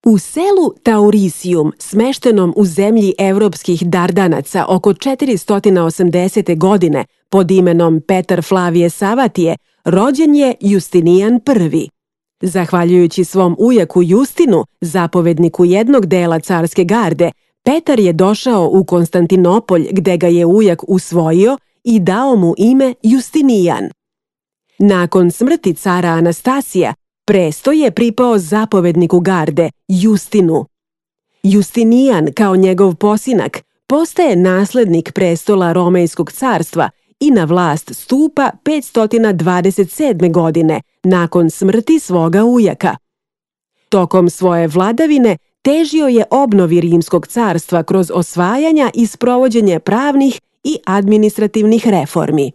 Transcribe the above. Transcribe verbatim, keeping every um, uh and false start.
U selu Taurisium, smeštenom u zemlji evropskih Dardanaca oko četiristo osamdesete. godine pod imenom Petar Flavije Savatije, rođen je Justinijan prvi. Zahvaljujući svom ujaku Justinu, zapovedniku jednog dela carske garde, Petar je došao u Konstantinopolj gde ga je ujak usvojio i dao mu ime Justinijan. Nakon smrti cara Anastasija, prestoj je pripao zapovedniku garde, Justinu. Justinijan, kao njegov posinak, postaje naslednik prestola Romejskog carstva i na vlast stupa petsto dvadeset sedme. godine, nakon smrti svoga ujaka. Tokom svoje vladavine težio je obnovi Rimskog carstva kroz osvajanja i sprovođenje pravnih i administrativnih reformi.